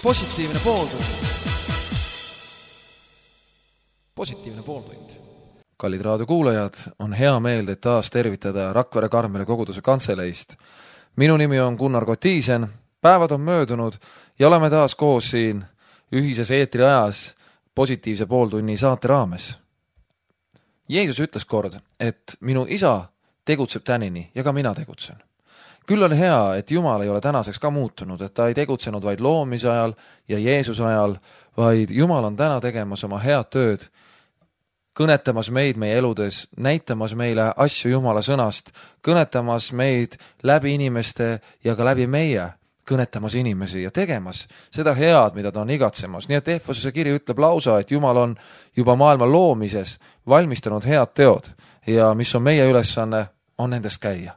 positiivne pooltund. Positiivne pooltund. Kallid raadiokuulajad, on hea meel teid taas tervitada Rakvere Karmeli koguduse kantseleist. Minu nimi on Gunnar Kotiisen, päevad on möödunud ja oleme taas koos siin ühises eetriajas positiivse pooltunni saate raames. Jeesus ütles kord, et minu isa tegutseb tänini ja ka mina tegutsen. Küll on hea, et Jumal ei ole tänaseks ka muutunud, et ta ei tegutsenud vaid loomise ajal ja Jeesuse ajal, vaid Jumal on täna tegemas oma head tööd, kõnetamas meid meie eludes, näitamas meile asju Jumala sõnast, kõnetamas meid läbi inimeste ja ka läbi meie, kõnetamas inimesi ja tegemas seda head, mida ta on igatsemas. Nii et Efesuse kiri ütleb lausa, et Jumal on juba maailma loomises valmistanud head teod ja mis on meie ülesanne, on nendest käia.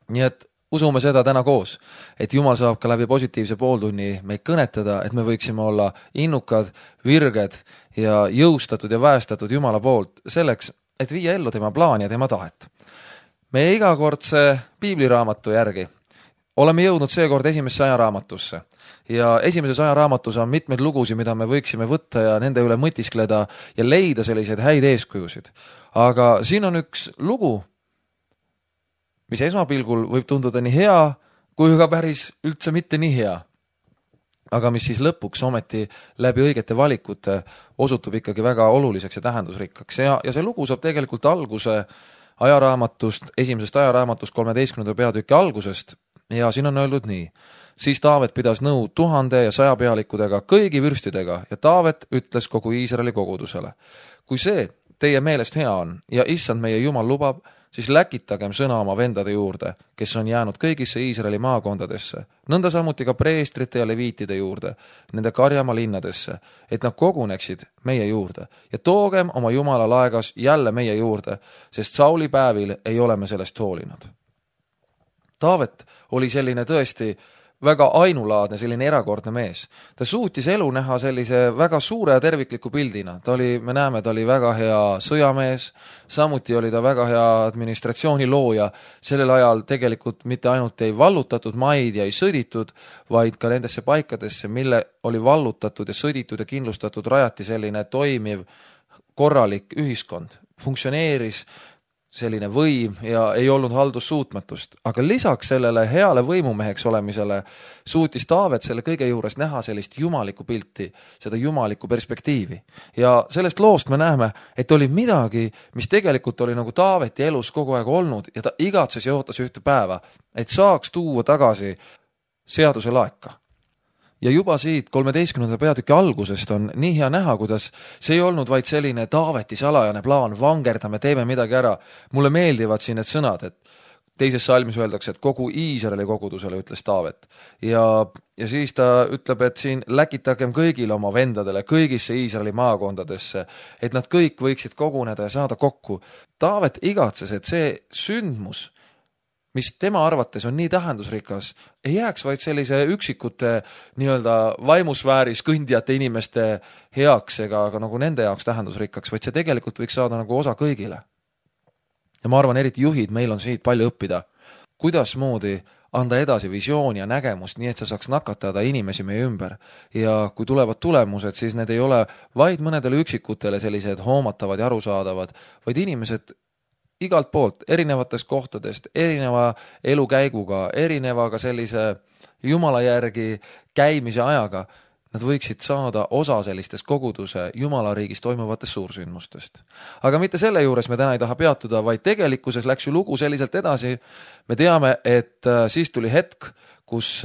Nii et usume seda täna koos, et Jumal saab ka läbi positiivse pooltunni meid kõnetada, et me võiksime olla innukad, virged ja jõustatud ja väestatud Jumala poolt selleks, et viia ellu tema plaan ja tema tahet. Meie igakordse piibliraamatu järgi oleme jõudnud seekord esimesse ajaraamatusse ja esimeses ajaraamatus on mitmeid lugusid, mida me võiksime võtta ja nende üle mõtiskleda ja leida selliseid häid eeskujusid. Aga siin on üks lugu, mis esmapilgul võib tunduda nii hea, kui ka päris üldse mitte nii hea. Aga mis siis lõpuks ometi läbi õigete valikute osutub ikkagi väga oluliseks ja tähendusrikkaks. Ja see lugu saab tegelikult alguse ajaraamatust, esimesest ajaraamatust 13. peatüki algusest ja siin on öeldud nii. Siis Taavet pidas nõu 1000 ja 100 pealikudega, kõigi vürstidega ja Taavet ütles kogu Iisraeli kogudusele. Kui see teie meelest hea on ja issand meie Jumal lubab, siis läkitagem sõna oma vendade juurde, kes on jäänud kõigisse Iisraeli maakondadesse, nõnda samuti ka preestrite ja leviitide juurde, nende karjamaa linnadesse, et nad koguneksid meie juurde ja toogem oma Jumala laegas jälle meie juurde, sest Sauli päevil ei ole me sellest hoolinud. Taavet oli selline tõesti väga ainulaadne, selline erakordne mees. Ta suutis elu näha sellise väga suure ja tervikliku pildina. Me näeme, ta oli väga hea sõjamees, samuti oli ta väga hea administratsiooni looja. Sellel ajal tegelikult mitte ainult ei vallutatud maid ja ei sõditud, vaid ka nendesse paikadesse, mille oli vallutatud ja sõditud ja kindlustatud, rajati selline toimiv, korralik ühiskond. Funktsioneeris selline võim ja ei olnud haldussuutmatust. Aga lisaks sellele heale võimumeheks olemisele suutis Taavet selle kõige juures näha sellist jumalikku pilti, seda jumalikku perspektiivi. Ja sellest loost me näeme, et oli midagi, mis tegelikult oli nagu Taaveti elus kogu aeg olnud ja ta igatses ja ootas ühte päeva, et saaks tuua tagasi seaduse laeka. Ja juba siit 13. peatüki algusest on nii hea näha, kuidas see ei olnud vaid selline Taaveti salajane plaan, vangerdame, teeme midagi ära. Mulle meeldivad siin need sõnad, et teises salmis öeldakse, et kogu Iisraeli kogudusele ütles Taavet. Ja siis ta ütleb, et siin läkitagem kõigile oma vendadele, kõigisse Iisraeli maakondadesse, et nad kõik võiksid koguneda ja saada kokku. Taavet igatses, et see sündmus, mis tema arvates on nii tähendusrikas, ei jääks vaid sellise üksikute nii-öelda vaimusfääris kõndijate inimeste heaks ega nagu nende jaoks tähendusrikkaks, vaid see tegelikult võiks saada nagu osa kõigile. Ja ma arvan, eriti juhid, meil on siit palju õppida. Kuidas moodi anda edasi visiooni ja nägemust, nii et sa saaks nakatada inimesi meie ümber. Ja kui tulevad tulemused, siis need ei ole vaid mõnedele üksikutele sellised hoomatavad ja arusaadavad, vaid inimesed igalt poolt, erinevatest kohtadest, erineva elukäiguga, erineva ka sellise Jumala järgi käimise ajaga, nad võiksid saada osa sellistest koguduse Jumala riigis toimuvatest suursündmustest. Aga mitte selle juures me täna ei taha peatuda, vaid tegelikkuses läks ju lugu selliselt edasi. Me teame, et siis tuli hetk, kus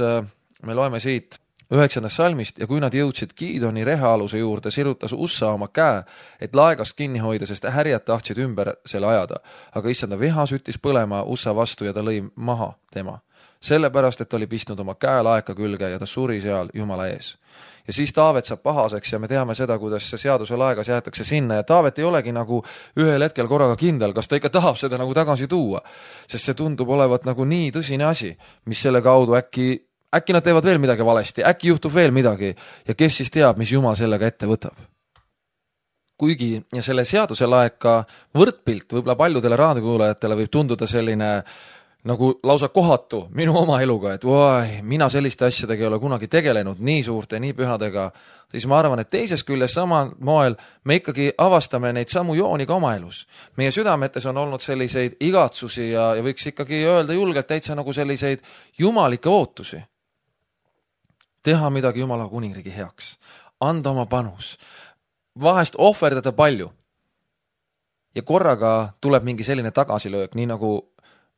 me loeme siit 9. salmist ja kui nad jõudsid Giidoni rehaaluse juurde, sirutas Ussa oma käe, et laegast kinni hoida, sest härjad tahtsid ümber selle ajada. Aga issanda viha süttis põlema Ussa vastu ja ta lõi maha tema. Sellepärast, et ta oli pistnud oma käe laeka külge ja ta suri seal Jumala ees. Ja siis Taavet saab pahaseks ja me teame seda, kuidas see seaduse laegas jäetakse sinna ja Taavet ei olegi nagu ühel hetkel korraga kindel, kas ta ikka tahab seda nagu tagasi tuua. Sest see tundub olevat nagu nii tõsine asi, mis selle kaudu äkki nad teevad veel midagi valesti, äkki juhtub veel midagi ja kes siis teab, mis Jumal sellega ette võtab. Kuigi ja selle seaduse laeka võrdpilt võib-olla paljudele raadiokuulajatele võib tunduda selline nagu lausa kohatu minu oma eluga, et mina selliste asjadega ei ole kunagi tegelenud, nii suurte, nii pühadega, siis ma arvan, et teises küljes samal moel me ikkagi avastame neid samu jooni ka oma elus. Meie südametes on olnud selliseid igatsusi ja võiks ikkagi öelda julgelt täitsa nagu selliseid jumalikke ootusi. Teha midagi Jumala kuningriigi heaks, anda oma panus, vahest ohverdada palju. Ja korraga tuleb mingi selline tagasilöök, nii nagu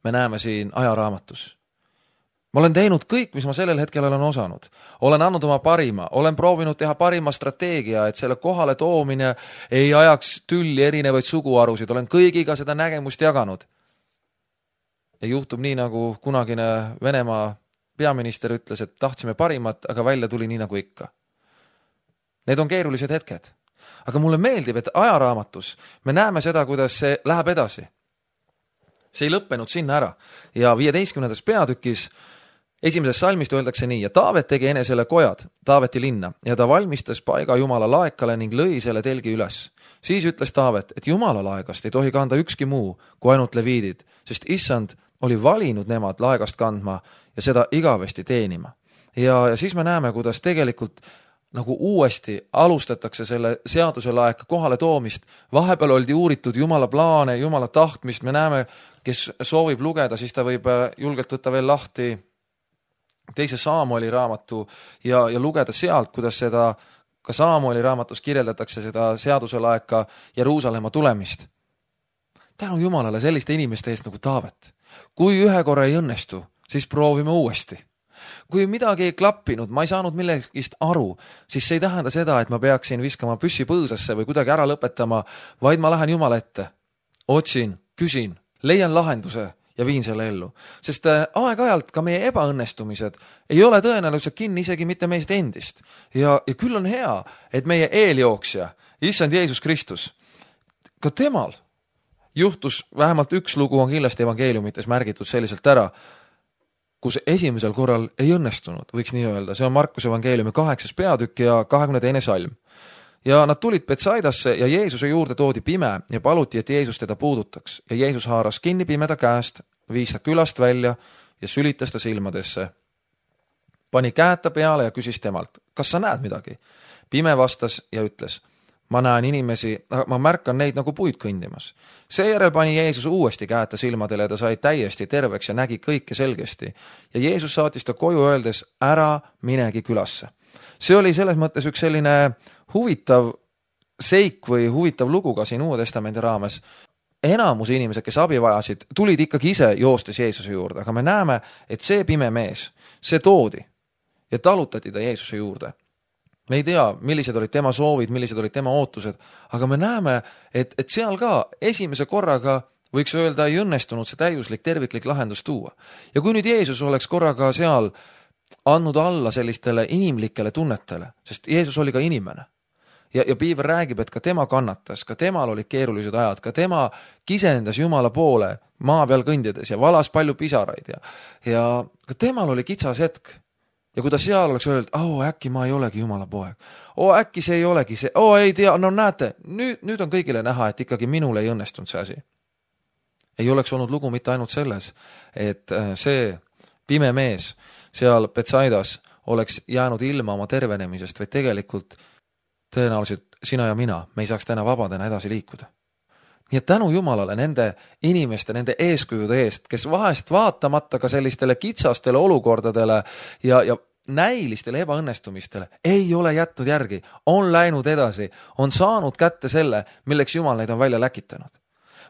me näeme siin ajaraamatus. Ma olen teinud kõik, mis ma sellel hetkel olen osanud. Olen andnud oma parima, olen proovinud teha parima strateegia, et selle kohale toomine ei ajaks tülli erinevaid suguarusid. Olen kõigiga seda nägemust jaganud. Ja juhtub nii, nagu kunagine Venemaa peaminister ütles, et tahtsime parimat, aga välja tuli nii nagu ikka. Need on keerulised hetked. Aga mulle meeldib, et ajaraamatus me näeme seda, kuidas see läheb edasi. See ei lõppenud sinna ära. Ja 15. peatükis esimeses salmist öeldakse nii, ja Taavet tegi enesele kojad Taaveti linna ja ta valmistas paiga Jumala laekale ning lõi selle telgi üles. Siis ütles Taavet, et Jumala laegast ei tohi kanda ükski muu kui ainult leviidid, sest issand oli valinud nemad laegast kandma ja seda igavesti teenima. Ja siis me näeme, kuidas tegelikult nagu uuesti alustatakse selle seaduse laeka kohale toomist. Vahepeal oldi uuritud Jumala plaane, Jumala tahtmist. Me näeme, kes soovib lugeda, siis ta võib julgelt võtta veel lahti 2. Saamueli raamatu ja lugeda sealt, kuidas seda ka Saamueli raamatus kirjeldatakse seda seaduse laeka Jeruusalemma tulemist. Tänu Jumalale selliste inimeste eest nagu Taavet. Kui ühe korra ei õnnestu, siis proovime uuesti. Kui midagi ei klappinud, ma ei saanud millegist aru, siis see ei tähenda seda, et ma peaksin viskama püssi põõsasse või kuidagi ära lõpetama, vaid ma lähen Jumala ette. Otsin, küsin, leian lahenduse ja viin selle ellu. Sest aeg-ajalt ka meie ebaõnnestumised ei ole tõenäoliselt kinni isegi mitte meist endist. Ja küll on hea, et meie eeljooksja, issand Jeesus Kristus, ka temal juhtus vähemalt üks lugu on kindlasti evangeeliumites märgitud selliselt ära, kus esimesel korral ei õnnestunud, võiks nii öelda. See on Markuse evangeeliumi 8. peatükk ja 22. salm. Ja nad tulid Betsaidasse ja Jeesuse juurde toodi pime ja paluti, et Jeesus teda puudutaks. Ja Jeesus haaras kinni pimeda käest, viis ta külast välja ja sülitas ta silmadesse. Pani käed ta peale ja küsis temalt, kas sa näed midagi? Pime vastas ja ütles, ma näen inimesi, ma märkan neid nagu puid kõndimas. Seejärel pani Jeesus uuesti käed ta silmadele ja ta sai täiesti terveks ja nägi kõike selgesti. Ja Jeesus saatis ta koju öeldes, ära minegi külasse. See oli selles mõttes üks selline huvitav seik või huvitav lugu ka siin Uue Testamendi raames. Enamus inimesed, kes abi vajasid, tulid ikkagi ise joostes Jeesuse juurde, aga me näeme, et see pime mees, see toodi ja talutati ta Jeesuse juurde. Me ei tea, millised olid tema soovid, millised olid tema ootused, aga me näeme, et seal ka esimese korraga võiks öelda ei õnnestunud see täiuslik terviklik lahendus tuua. Ja kui nüüd Jeesus oleks korraga seal andnud alla sellistele inimlikele tunnetele, sest Jeesus oli ka inimene. Ja Piiber räägib, et ka tema kannatas, ka temal olid keerulised ajad, ka tema kisendas Jumala poole maa peal kõndides ja valas palju pisaraid ja ka temal oli kitsas hetk. Ja kui ta seal oleks öelnud, äkki ma ei olegi Jumala poeg. Äkki see ei olegi see. Ei tea, no näete, nüüd on kõigile näha, et ikkagi minul ei õnnestunud see asi. Ei oleks olnud lugu mitte ainult selles, et see pime mees seal Betsaidas oleks jäänud ilma oma tervenemisest, või tegelikult tõenäoliselt sina ja mina, me ei saaks täna vabadena edasi liikuda. Nii et tänu Jumalale nende inimeste, nende eeskujude eest, kes vahest vaatamata ka sellistele kitsastele olukordadele ja näilistele ebaõnnestumistele ei ole jätnud järgi, on läinud edasi, on saanud kätte selle, milleks Jumal neid on välja läkitanud.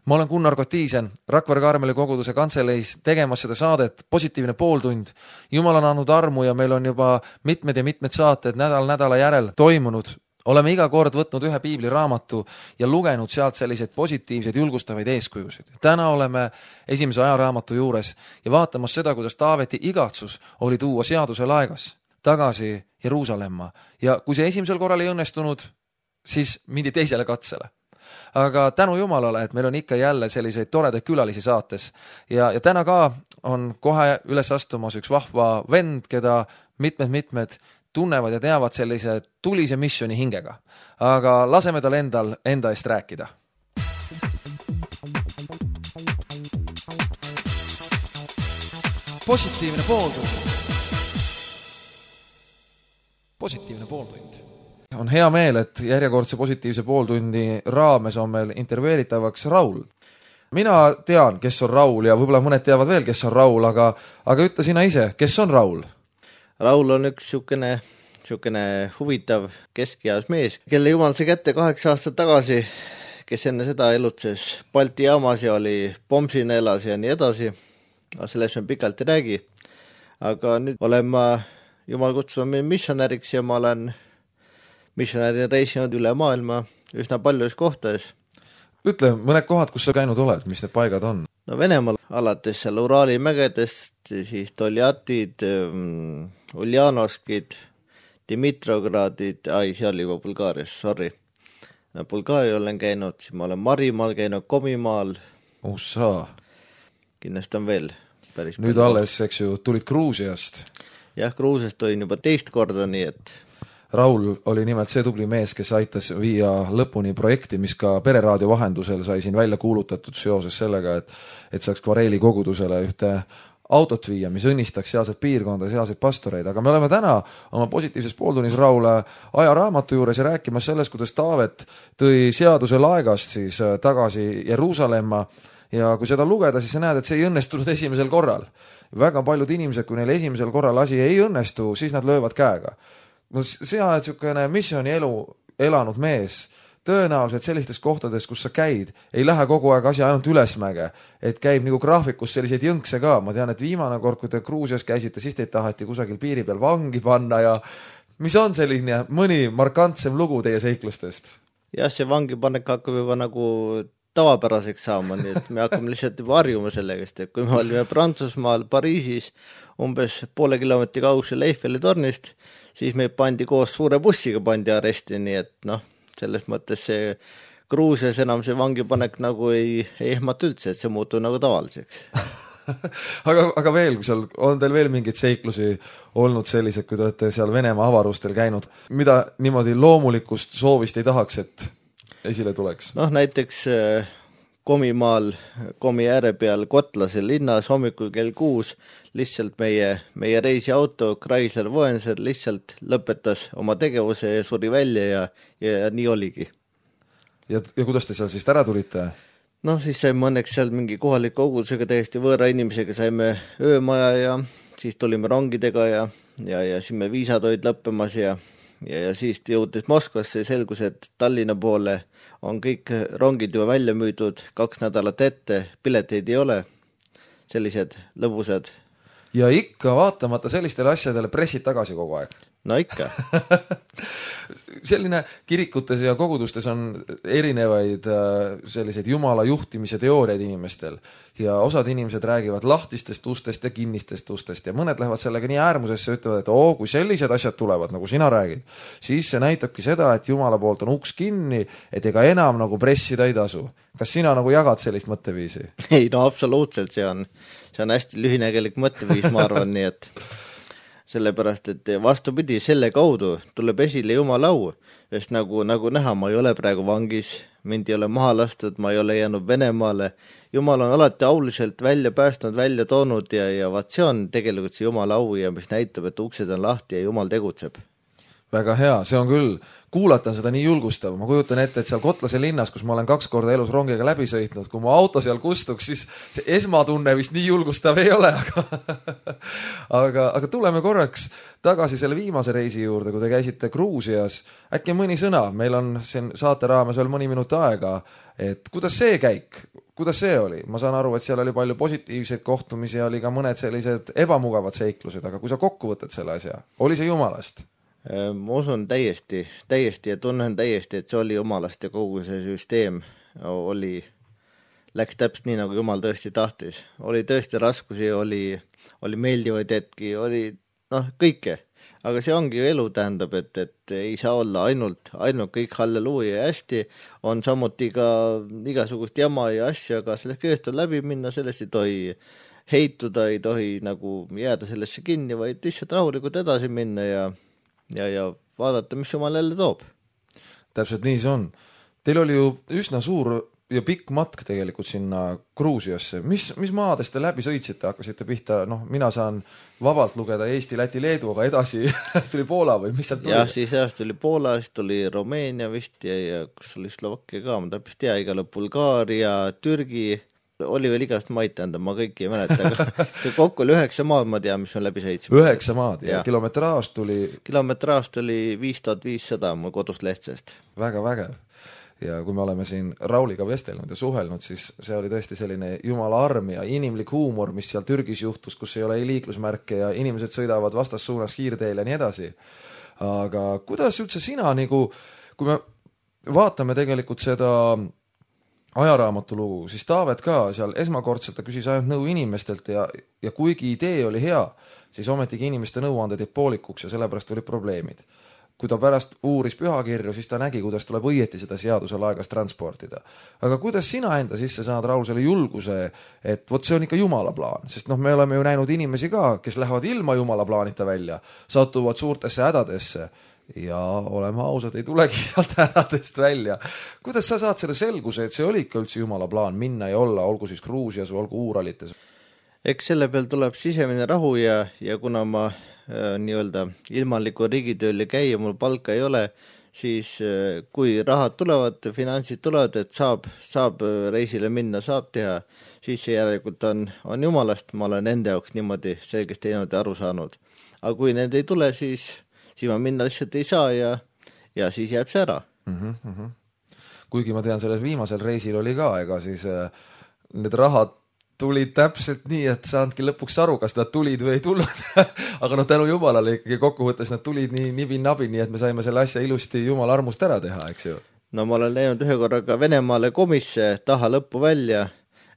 Ma olen Gunnar Kotiisen, Rakvere Karmeli koguduse kantseleis tegemas seda saadet Positiivne pooltund. Jumal on andnud armu ja meil on juba mitmed ja mitmed saated nädala järel toimunud. Oleme iga kord võtnud ühe piibliraamatu ja lugenud sealt selliseid positiivseid julgustavaid eeskujusid. Täna oleme esimese ajaraamatu juures ja vaatamas seda, kuidas Taaveti igatsus oli tuua seaduse laegas tagasi Jeruusalemma. Ja kui see esimesel korral ei õnnestunud, siis mindi teisele katsele. Aga tänu Jumalale, et meil on ikka jälle selliseid toredaid külalisi saates. Ja täna ka on kohe üles astumas üks vahva vend, keda mitmed tunnevad ja teavad sellise tulise missioni hingega. Aga laseme tal enda eest rääkida. positiivne pooltund. Positiivne pooltund. On hea meel, et järjekordse positiivse pooltundi raames on meil intervjueeritavaks Raul. Mina tean, kes on Raul ja võib-olla mõned teavad veel, kes on Raul, aga ütle sina ise, kes on Raul? Raul on üks siukene huvitav keskeas mees, kelle jumal sai kätte 8 aastat tagasi, kes enne seda elutses Balti jaamas ja oli Pomsina elas ja nii edasi. Aga sellest me pikalt ei räägi. Aga nüüd olen ma jumal kutsunud missionäriks ja ma olen missionäri reisinud üle maailma üsna paljudes kohtades. Ütle mõned kohad, kus sa käinud oled, mis need paigad on? No Venemaal alates seal Uraali mägedest, siis Toljatid, Uljanovskid, Dimitrogradid, seal juba Bulgaarias, sorry. Bulgaaria olen käinud, siis ma olen Marimaal käinud, Komimaal. Ussa. Kindlasti on veel päris nüüd palju. Alles, eks ju, tulid Gruusiast. Jah, Gruusiast olin juba 2 korda, nii et Raul oli nimelt see tubli mees, kes aitas viia lõpuni projekti, mis ka pereraadio vahendusel sai siin välja kuulutatud seoses sellega, et saaks Kvareeli kogudusele ühte autot viia, mis õnnistaks sealset piirkonda, sealseid pastoreid. Aga me oleme täna oma positiivses pooltunnis Raul ajaraamatu juures ja rääkimas sellest, kuidas Taavet tõi seaduse laegast siis tagasi Jeruusalemma ja kui seda lugeda, siis sa näed, et see ei õnnestunud esimesel korral. Väga paljud inimesed, kui neil esimesel korral asi ei õnnestu, siis nad löövad käega. Sina oled niisugune missiooni elu elanud mees, tõenäoliselt sellistes kohtades, kus sa käid, ei lähe kogu aeg asi ainult ülesmäge, et käib nagu graafikus selliseid jõnkse ka. Ma tean, et viimane kord, kui te Gruusias käisite, siis teid tahati kusagil piiri peal vangi panna ja mis on selline mõni markantsem lugu teie seiklustest? Jah, see vangipanek hakkab juba nagu tavapäraseks saama, nii et me hakkame lihtsalt juba harjuma sellegast, et kui me olime Prantsusmaal Pariisis umbes poole kilomeetri kaugusel Eiffeli tornist, siis me pandi koos suure bussiga pandi aresti, nii et selles mõttes see Gruusias enam see vangipanek nagu ei ehmata üldse, et see muutub nagu tavaliseks. aga veel, kui seal on teil veel mingeid seiklusi olnud sellised, kui te olete seal Venemaa avarustel käinud, mida niimoodi loomulikust soovist ei tahaks, et esile tuleks? Näiteks Komimaal, Komi ääre peal Kotlase linnas hommikul kell 6 lihtsalt meie reisiauto Chrysler Voyager lihtsalt lõpetas oma tegevuse ja suri välja ja nii oligi. Ja kuidas te seal siis ära tulite? Siis saime õnneks seal mingi kohaliku kogudusega täiesti võõra inimesega saime öömaja ja siis tulime rongidega ja siis me viisad olid lõppemas ja siis jõudis Moskvasse ja selgus, et Tallinna poole on kõik rongid juba välja müüdud 2 nädalat ette, pileteid ei ole, sellised lõbusad. Ja ikka vaatamata sellistele asjadele pressid tagasi kogu aeg. No ikka. Selline kirikutes ja kogudustes on erinevaid selliseid jumala juhtimise teooriaid inimestel ja osad inimesed räägivad lahtistest ustest ja kinnistest ustest ja mõned lähevad sellega nii äärmusesse, ütlevad, et kui sellised asjad tulevad, nagu sina räägid, siis see näitabki seda, et jumala poolt on uks kinni, et ega enam nagu pressida ei tasu. Kas sina nagu jagad sellist mõtteviisi? Ei, absoluutselt, see on hästi lühinägelik mõtteviis, ma arvan, nii et sellepärast, et vastupidi, selle kaudu tuleb esile jumala au, sest nagu näha, ma ei ole praegu vangis, mind ei ole maha lastud, ma ei ole jäänud Venemaale. Jumal on alati auliselt välja päästnud, välja toonud ja vaat see on tegelikult see jumala au ja mis näitab, et uksed on lahti ja jumal tegutseb. Väga hea, see on küll, kuulatan seda nii julgustav, ma kujutan ette, et seal Kotlase linnas, kus ma olen 2 korda elus rongiga läbi sõitnud, kui mu auto seal kustuks, siis see esmatunne vist nii julgustav ei ole, aga tuleme korraks tagasi selle viimase reisi juurde, kui te käisite Gruusias, äkki mõni sõna, meil on siin saate raames veel mõni minut aega, et kuidas see käik, kuidas see oli? Ma saan aru, et seal oli palju positiivseid kohtumisi ja oli ka mõned sellised ebamugavad seiklused, aga kui sa kokku võtad selle asja, oli see jumalast? Ma usun täiesti ja tunnen täiesti, et see oli jumalast ja kogu see süsteem läks täpselt nii, nagu jumal tõesti tahtis. Oli tõesti raskusi, oli meeldivaid hetki, oli kõike. Aga see ongi ju elu, tähendab, et ei saa olla ainult kõik halleluuja ja hästi, on samuti ka igasugust jama ja asja, aga sellest kõigest on läbi minna, sellest ei tohi heituda, ei tohi nagu jääda sellesse kinni, vaid lihtsalt rahulikult edasi minna ja vaadata, mis jumal jälle toob. Täpselt nii see on. Teil oli ju üsna suur ja pikk matk tegelikult sinna Gruusiasse. Mis maadest te läbi sõitsite, hakkasite pihta, mina saan vabalt lugeda Eesti, Läti, Leedu, aga edasi tuli Poola või mis sealt tuli? Jah, siis tuli Poola, siis tuli Rumeenia vist ja kus oli Slovakkia ka, ma täpselt tea, igale Bulgaaria, Türgi, oli veel igast maid, tähendab, ma kõiki ei mäleta, aga kokku oli 9 maad, ma tean, mis me läbi sõitsime. 9 maad ja kilometraaž tuli 5500 mu kodust Lehtsest. Väga vägev. Ja kui me oleme siin Rauliga vestelnud ja suhelnud, siis see oli tõesti selline jumala arm ja inimlik huumor, mis seal Türgis juhtus, kus ei ole ei liiklusmärke ja inimesed sõidavad vastassuunas kiirteel ja nii edasi. Aga kuidas üldse sina, kui me vaatame tegelikult seda ajaraamatu lugu, siis Taavet ka seal esmakordselt ta küsis ainult nõu inimestelt ja kuigi idee oli hea, siis ometigi inimeste nõuanded jäid poolikuks ja sellepärast olid probleemid. Kui ta pärast uuris pühakirju, siis ta nägi, kuidas tuleb õieti seda seadusel aegas transportida. Aga kuidas sina enda sisse saad, Raul, selle julguse, et vot see on ikka jumala plaan, sest me oleme ju näinud inimesi ka, kes lähevad ilma jumala plaanita välja, satuvad suurtesse hädadesse ja oleme ausad, ei tulegi sealt hädadest välja. Kuidas sa saad selle selguse, et see oli ikka üldse jumala plaan minna ja olla, olgu siis Gruusias või olgu Uuralites? Eks selle peal tuleb sisemine rahu ja kuna ma nii-öelda ilmalikku riigitööl ja käia, mul palka ei ole, siis kui rahad tulevad, finantsid tulevad, et saab reisile minna, saab teha, siis see järelikult on jumalast, ma olen enda jaoks niimoodi selgest teinud ja aru saanud. Aga kui need ei tule, siis ma minna lihtsalt ei saa ja siis jääb see ära. Kuigi ma tean, selles viimasel reisil oli ka, ega siis need rahad tulid täpselt nii, et saandki lõpuks aru, kas nad tulid või ei tulnud. Aga tänu jumalale ikkagi kokkuvõttes nad tulid nii nibin-nabin, nii et me saime selle asja ilusti jumala armust ära teha, eks ju? No ma olen läinud ühe korraga Venemaale komisse taha lõppu välja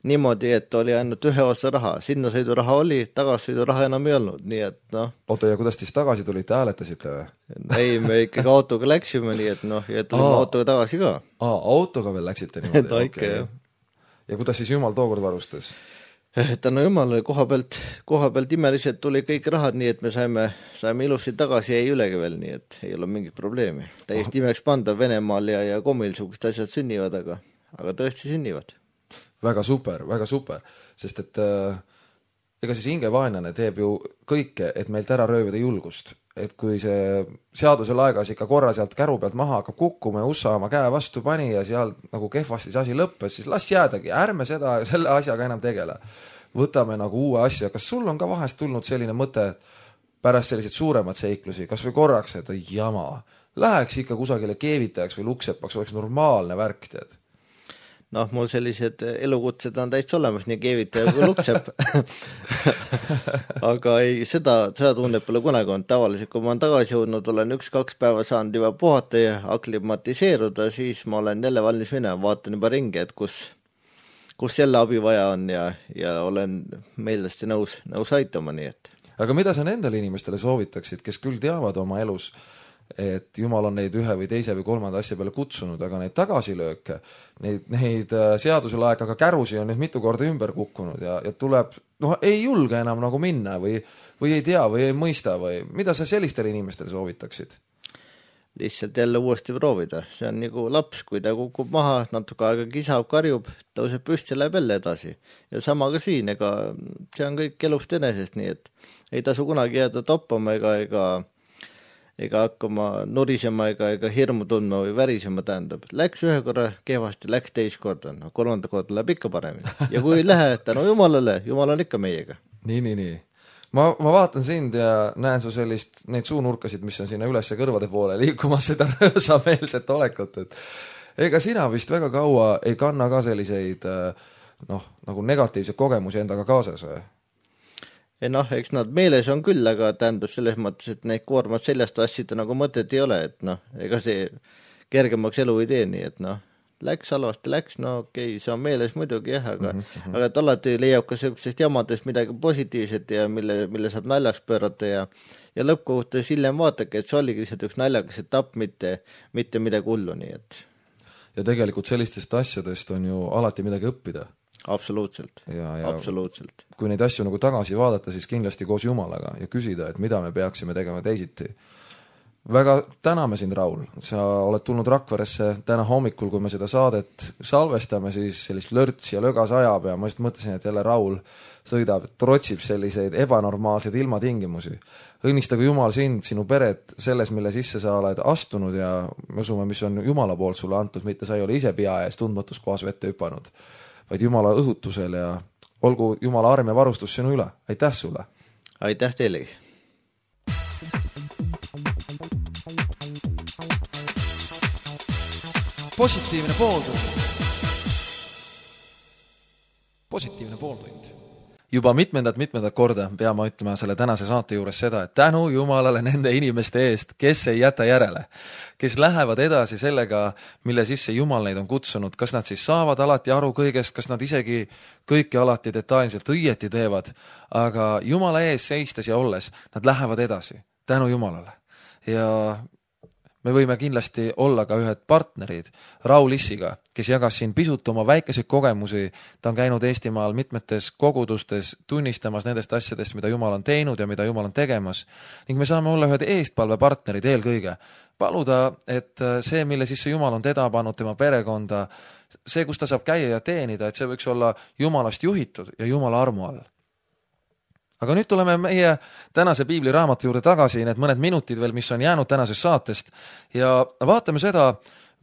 niimoodi, et oli ainult ühe osa raha. Sinna sõiduraha oli, tagasõiduraha enam ei olnud, nii et Oota, ja kuidas siis tagasi tulite, hääletasite või? Ei, me ikkagi autoga läksime, nii et ja tulime autoga tagasi ka. Autoga veel läksite niimoodi? Ikka, jah. Ja kuidas siis jumal tookord varustas? Tänu jumalale koha pealt imeliselt tuli kõik rahad, nii et me saime ilusti tagasi ja ei ülegi veel, nii et ei ole mingit probleemi. Täiesti imeks panda Venemaal ja Komil sugust asjad sünnivad, aga tõesti sünnivad. Väga super, sest et ega siis hingevaenlane teeb ju kõike, et meilt ära röövida julgust. Et kui see seadusel aegas ikka korra sealt käru pealt maha hakkab kukkuma ja USA oma käe vastu pani ja seal nagu kehvasti see asi lõppes, siis las jäädagi, ärme selle asjaga enam tegele. Võtame nagu uue asja. Kas sul on ka vahest tulnud selline mõte pärast sellised suuremad seiklusi, kas või korraks, et jama, läheks ikka kusagile keevitajaks või luksepaks, oleks normaalne värk, tead? Mul sellised elukutsed on täitsa olemas, nii keevitaja kui lupseb. Aga ei, seda tunnet pole kunagi olnud. Tavaliselt, kui ma olen tagasi jõudnud, olen 1-2 päeva saanud juba puhata ja aklimatiseeruda, siis ma olen jälle valmis minema, vaatan juba ringi, et kus jälle abi vaja on ja olen meeldesti nõus aitama, nii et. Aga mida sa nendele inimestele soovitaksid, kes küll teavad oma elus, et jumal on neid ühe või teise või kolmanda asja peale kutsunud, aga neid tagasilööke, neid seadusel aegaga kärusi on nüüd mitu korda ümber kukkunud ja tuleb, ei julge enam nagu minna või ei tea või ei mõista või mida sa sellistele inimestele soovitaksid? Lihtsalt jälle uuesti proovida. See on nagu laps, kui ta kukub maha, natuke aega kisab, karjub, tõuseb püsti ja läheb jälle edasi. Ja sama ka siin, ega see on kõik elust enesest, nii et ei tasu kunagi jääda toppama ega hakkama nurisema ega hirmu tundma või värisema, tähendab. Läks ühe korra kehvasti, läks teist korda, kolmanda korda läheb ikka paremini. Ja kui ei lähe, tänu jumalale, jumal on ikka meiega. Nii. Ma vaatan sind ja näen su neid suunurkasid, mis on sinna üles kõrvade poole liikumas seda röösameelset olekut. Ega sina vist väga kaua ei kanna ka selliseid nagu negatiivseid kogemusi endaga kaasas või? Eks nad meeles on küll, aga tähendab selles mõttes, et neid koormad seljast assida nagu mõtet ei ole, et ega see kergemaks elu ei tee, nii et läks halvasti, okei, see on meeles muidugi jah, aga et alati leiab ka sellisest jamadest midagi positiivset ja mille saab naljaks pöörata ja lõppkohutes hiljem vaatake, et see oligi lihtsalt üks naljakas etapp, mitte midagi hullu, nii et. Ja tegelikult sellistest asjadest on ju alati midagi õppida. Absoluutselt. Absoluutselt. Kui neid asju nagu tagasi vaadata, siis kindlasti koos Jumalaga ja küsida, et mida me peaksime tegema teisiti. väga täname sind, Raul, sa oled tulnud Rakveresse täna hommikul, kui me seda saadet salvestame, siis sellist lörts ja lögas ajab ja ma just mõtlesin, et jälle Raul sõidab, trotsib selliseid ebanormaalseid ilmatingimusi. Õnnistagu Jumal sind, sinu peret selles, mille sisse sa oled astunud ja me usume, mis on Jumala poolt sulle antud, mitte sa ei ole ise pea ees tundmatus kohas vette hüpanud, vaid Jumala õhutusel ja olgu Jumala arm ja varustus sinu üle. Aitäh sulle! Aitäh teilegi! Positiivne pooltund. Juba mitmendat korda peame ütlema selle tänase saate juures seda, et tänu Jumalale nende inimeste eest, kes ei jäta järele, kes lähevad edasi sellega, mille sisse Jumal neid on kutsunud, kas nad siis saavad alati aru kõigest, kas nad isegi kõike alati detailselt õieti teevad, aga Jumala ees seistes ja olles, nad lähevad edasi, tänu Jumalale. Ja me võime kindlasti olla ka ühed partnerid Raul Issiga, kes jagas siin pisut oma väikeseid kogemusi. Ta on käinud Eestimaal mitmetes kogudustes tunnistamas nendest asjadest, mida Jumal on teinud ja mida Jumal on tegemas. Ning me saame olla ühed eestpalvepartnerid eelkõige. Paluda, et see, mille sisse Jumal on teda pannud, tema perekonda, see, kus ta saab käia ja teenida, et see võiks olla Jumalast juhitud ja Jumala armu all. Aga nüüd tuleme meie tänase piibliraamatu juurde tagasi, need mõned minutid veel, mis on jäänud tänasest saatest ja vaatame seda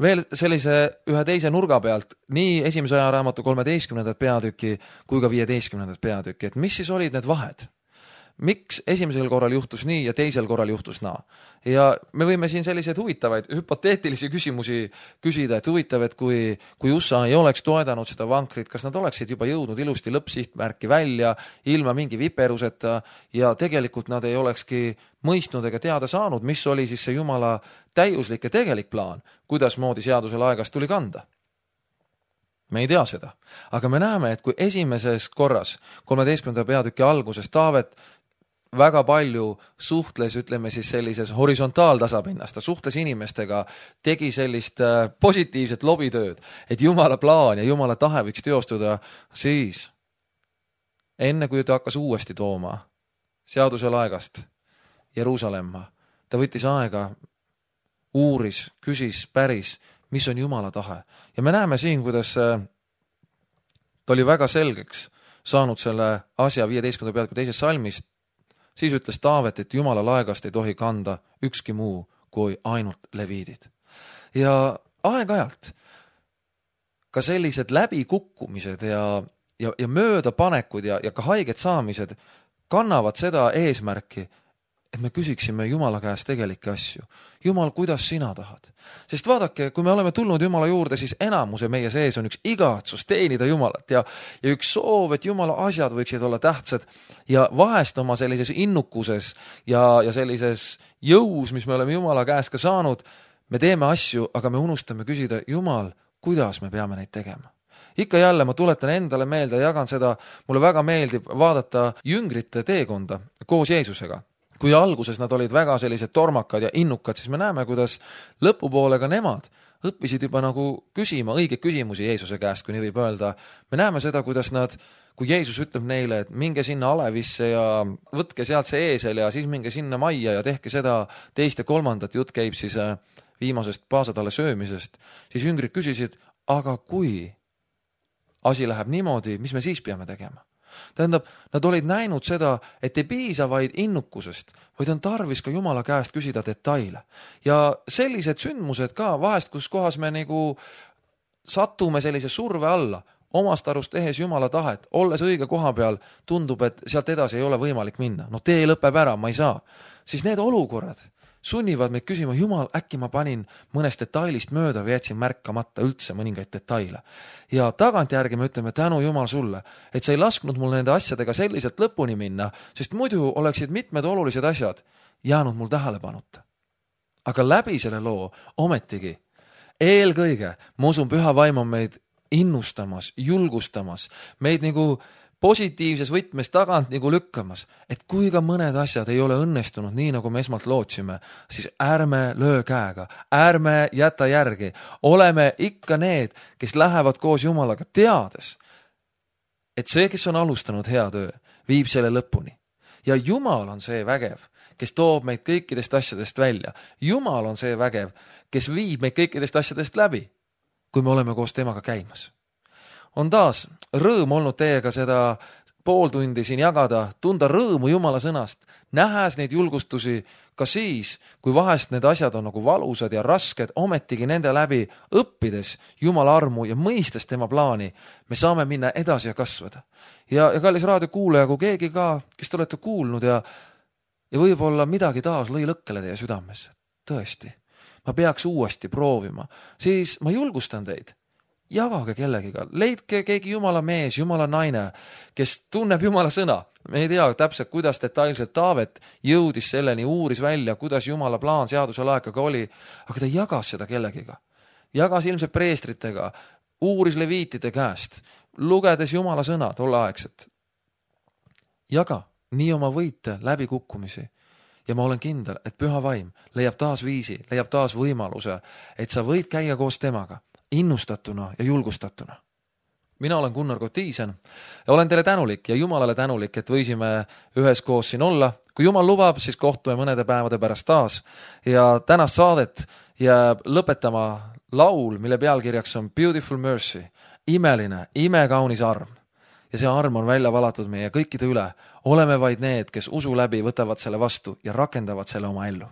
veel sellise ühe teise nurga pealt, nii esimese ajaraamatu 13. peatüki kui ka 15. peatüki, et mis siis olid need vahed? Miks esimesel korral juhtus nii ja teisel korral juhtus naa? Ja me võime siin selliseid huvitavaid, hüpoteetilisi küsimusi küsida, et huvitav, et kui USA ei oleks toedanud seda vankrit, kas nad oleksid juba jõudnud ilusti lõppsihtmärki välja, ilma mingi viperuseta ja tegelikult nad ei olekski mõistnud ega teada saanud, mis oli siis see Jumala täiuslik ja tegelik plaan, kuidas moodi seadusel aegast tuli kanda. Me ei tea seda, aga me näeme, et kui esimeses korras, 13. peatüki alguses Taavet väga palju suhtles, ütleme siis sellises horisontaaltasapinnast, ta suhtles inimestega, tegi sellist positiivset lobitööd, et Jumala plaan ja Jumala tahe võiks teostuda, siis enne kui ta hakkas uuesti tooma seadusel aegast Jeruusalemma, ta võttis aega, uuris, küsis, päris, mis on Jumala tahe. Ja me näeme siin, kuidas ta oli väga selgeks saanud selle asja 15. peatüki teisest salmist. Siis ütles Taavet, et Jumala laegast ei tohi kanda ükski muu kui ainult leviidid. Ja aeg-ajalt ka sellised läbikukkumised ja möödapanekud ja ka haiget saamised kannavad seda eesmärki, et me küsiksime Jumala käest tegelikke asju. Jumal, kuidas sina tahad? Sest vaadake, kui me oleme tulnud Jumala juurde, siis enamuse meie sees on üks igatsus teenida Jumalat ja üks soov, et Jumala asjad võiksid olla tähtsad ja vahest oma sellises innukuses ja sellises jõus, mis me oleme Jumala käest ka saanud, me teeme asju, aga me unustame küsida, Jumal, kuidas me peame neid tegema? Ikka jälle ma tuletan endale meelde ja jagan seda, mulle väga meeldib vaadata jüngrite teekonda koos Jeesusega. Kui alguses nad olid väga sellised tormakad ja innukad, siis me näeme, kuidas lõpupoole ka nemad õppisid juba nagu küsima õigeid küsimusi Jeesuse käest, kui nii võib öelda. Me näeme seda, kuidas kui Jeesus ütleb neile, et minge sinna alevisse ja võtke sealt see eesel ja siis minge sinna majja ja tehke seda teist ja kolmandat, jutt käib siis viimasest paasatalle söömisest, siis jüngrid küsisid, aga kui asi läheb niimoodi, mis me siis peame tegema? Tähendab, nad olid näinud seda, et ei piisa vaid innukusest, vaid on tarvis ka Jumala käest küsida detaile. Ja sellised sündmused ka vahest, kus kohas me nagu satume sellise surve alla, omast arust tehes Jumala tahet, olles õige koha peal, tundub, et sealt edasi ei ole võimalik minna. No tee lõpeb ära, ma ei saa. Siis need olukorrad sunnivad meid küsima, Jumal, äkki ma panin mõnest detailist mööda või jätsin märkamata üldse mõningaid detaile. Ja tagantjärgi me ütleme, tänu Jumal sulle, et sa ei lasknud mul nende asjadega selliselt lõpuni minna, sest muidu oleksid mitmed olulised asjad jäänud mul tähelepanuta. Aga läbi selle loo ometigi eelkõige, ma usun, püha vaim on meid innustamas, julgustamas, meid nagu positiivses võtmes tagant nagu lükkamas, et kui ka mõned asjad ei ole õnnestunud nii, nagu me esmalt lootsime, siis ärme löö käega, ärme jäta järgi, oleme ikka need, kes lähevad koos Jumalaga teades, et see, kes on alustanud hea töö, viib selle lõpuni. Ja Jumal on see vägev, kes toob meid kõikidest asjadest välja. Jumal on see vägev, kes viib meid kõikidest asjadest läbi, kui me oleme koos temaga käimas. On taas rõõm olnud teiega seda pool tundi siin jagada, tunda rõõmu Jumala sõnast, nähes neid julgustusi ka siis, kui vahest need asjad on nagu valusad ja rasked, ometigi nende läbi õppides Jumala armu ja mõistes tema plaani, me saame minna edasi ja kasvada. Ja kallis raadiokuulaja, kui keegi ka, kes te olete kuulnud ja võib-olla midagi taas lõi lõkkele teie südames, tõesti, ma peaks uuesti proovima, siis ma julgustan teid. Jagage kellegiga, leidke keegi Jumala mees, Jumala naine, kes tunneb Jumala sõna. Me ei tea täpselt, kuidas detailselt Taavet jõudis selleni, uuris välja, kuidas Jumala plaan seaduse laekaga oli, aga ta jagas seda kellegiga. Jagas ilmselt preestritega, uuris leviitide käest, lugedes Jumala sõna tolleaegset. Jaga nii oma võite läbi kukkumisi. Ja ma olen kindel, et püha vaim leiab taas viisi, leiab taas võimaluse, et sa võid käia koos temaga. Innustatuna ja julgustatuna. Mina olen Gunnar Kotiisen ja olen teile tänulik ja Jumalale tänulik, et võisime üheskoos siin olla. Kui Jumal lubab, siis kohtume mõnede päevade pärast taas ja tänast saadet jääb lõpetama laul, mille pealkirjaks on Beautiful Mercy, imeline, imekaunis arm. Ja see arm on välja valatud meie kõikide üle. Oleme vaid need, kes usu läbi võtavad selle vastu ja rakendavad selle oma ellu.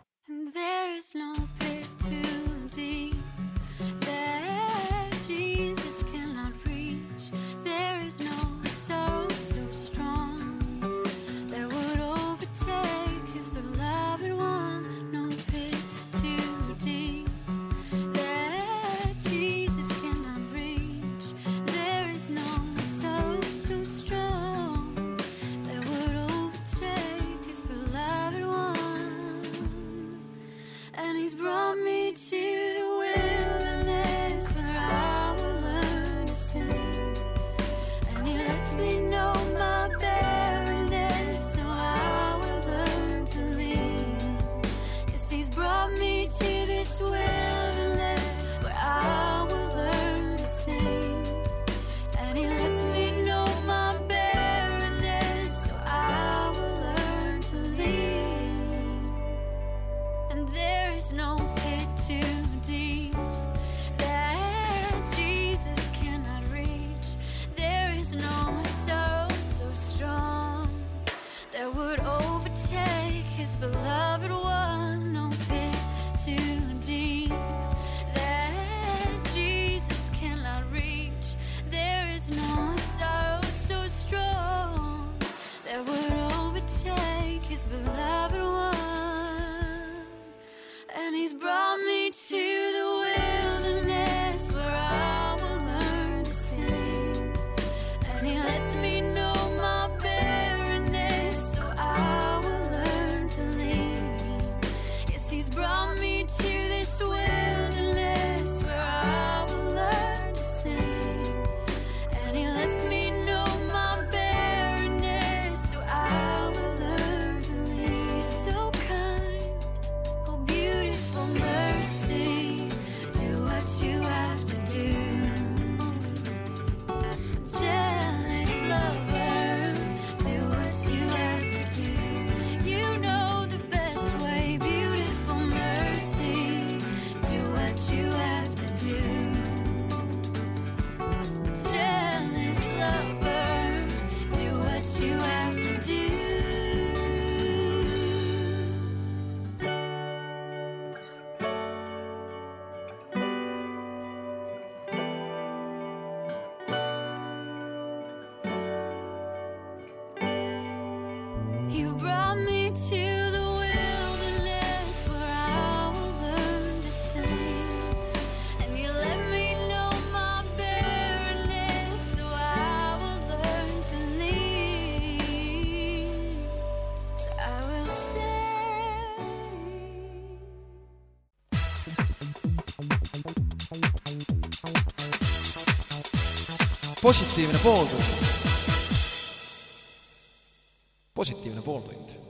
Positiivne pooltund.